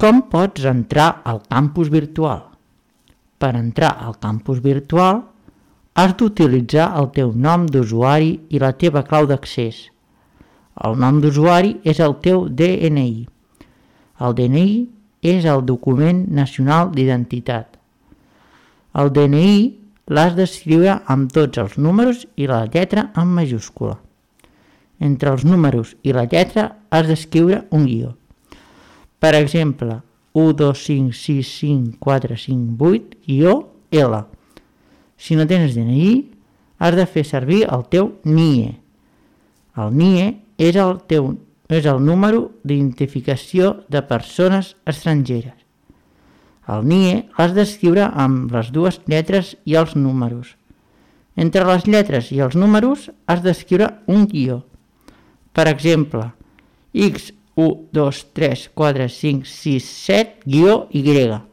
Com pots entrar al campus virtual? Per entrar al campus virtual has d'utilitzar el teu nom d'usuari i la teva clau d'accés. El nom d'usuari és el teu DNI. El DNI és el document nacional d'identitat. El DNI l'has d'escriure amb tots els números i la lletra en majúscula. Entre els números i la lletra has d'escriure un guió. Per exemple, 1, 2, 5, 6, 5, 4, 5, 8, guió L. Si no tens DNI, has de fer servir el teu NIE. El NIE és el número d'identificació de persones estrangeres. El NIE l'has d'escriure amb les dues lletres i els números. Entre les lletres i els números has d'escriure un guió. Per exemple, X, 1, 2, 3, 4, 5, 6, 7, guió Y.